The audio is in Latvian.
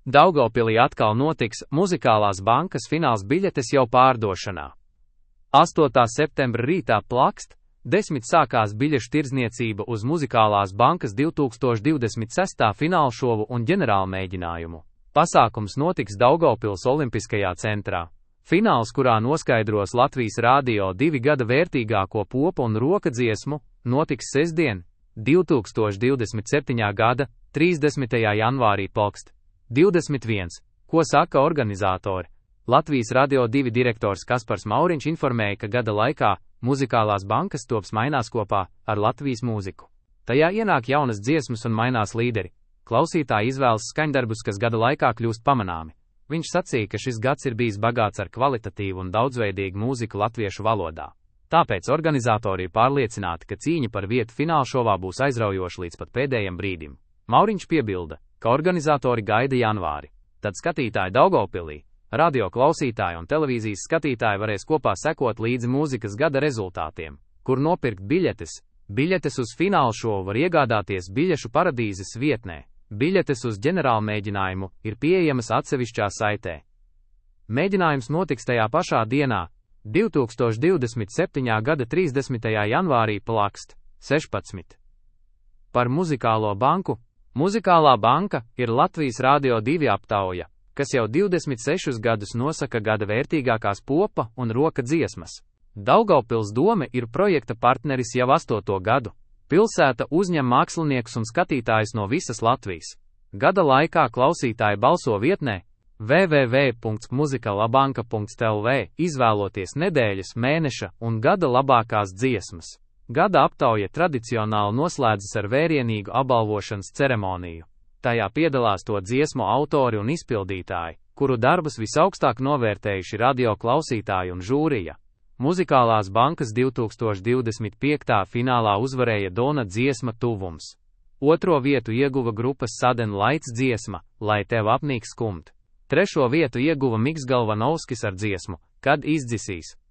Daugavpilī atkal notiks Muzikālās bankas fināls biļetes jau pārdošanā. 8. septembra rītā plakst, 10 sākās biļešu tirdzniecība uz Muzikālās bankas 2026. finālšovu un ģenerālmēģinājumu. Pasākums notiks Daugavpils Olimpiskajā centrā. Fināls, kurā noskaidros Latvijas Rādio 2 gada vērtīgāko popu un rokadziesmu, notiks sestdien, 2027. gada 30. janvārī plakst. 21. Ko saka organizatori? Latvijas Radio 2 direktors Kaspars Mauriņš informēja, ka gada laikā Muzikālās bankas tops mainās kopā ar Latvijas mūziku. Tajā ienāk jaunas dziesmas un mainās līderi. Klausītāji izvēlas skaņdarbus, kas gada laikā kļūst pamanāmi. Viņš sacīja, ka šis gads ir bijis bagāts ar kvalitatīvu un daudzveidīgu mūziku latviešu valodā. Tāpēc organizatori ir pārliecināti, ka cīņa par vietu finālšovā būs aizraujoša līdz pat pēdējiem brīdim. Mauriņš piebilda, ka organizatori gaida janvāri. Tad skatītāji Daugavpilī, radio klausītāji un televīzijas skatītāji varēs kopā sekot līdzi mūzikas gada rezultātiem, kur nopirkt biļetes. Biļetes uz finālšovu var iegādāties Biļešu paradīzes vietnē. Biļetes uz ģenerālmēģinājumu ir pieejamas atsevišķā saitē. Mēģinājums notiks tajā pašā dienā, 2027. gada 30. janvārī plakst. 16. Par Muzikālo banku. Muzikālā banka ir Latvijas Rādio 2 aptauja, kas jau 26 gadus nosaka gada vērtīgākās popa un roka dziesmas. Daugavpils dome ir projekta partneris jau 8. gadu. Pilsēta uzņem māksliniekus un skatītājus no visas Latvijas. Gada laikā klausītāji balso vietnē www.muzikalabanka.lv, izvēloties nedēļas, mēneša un gada labākās dziesmas. Gada aptauja tradicionāli noslēdzas ar vērienīgu apbalvošanas ceremoniju. Tajā piedalās to dziesmu autori un izpildītāji, kuru darbus visaugstāk novērtējuši radio klausītāji un žūrija. Muzikālās bankas 2025. finālā uzvarēja Dona dziesma Tuvums. 2. vietu ieguva grupas Sudden Lights dziesma Lai tev apnīk skumt. 3. vietu ieguva Miks Galvanovskis ar dziesmu Kad izdzisīs.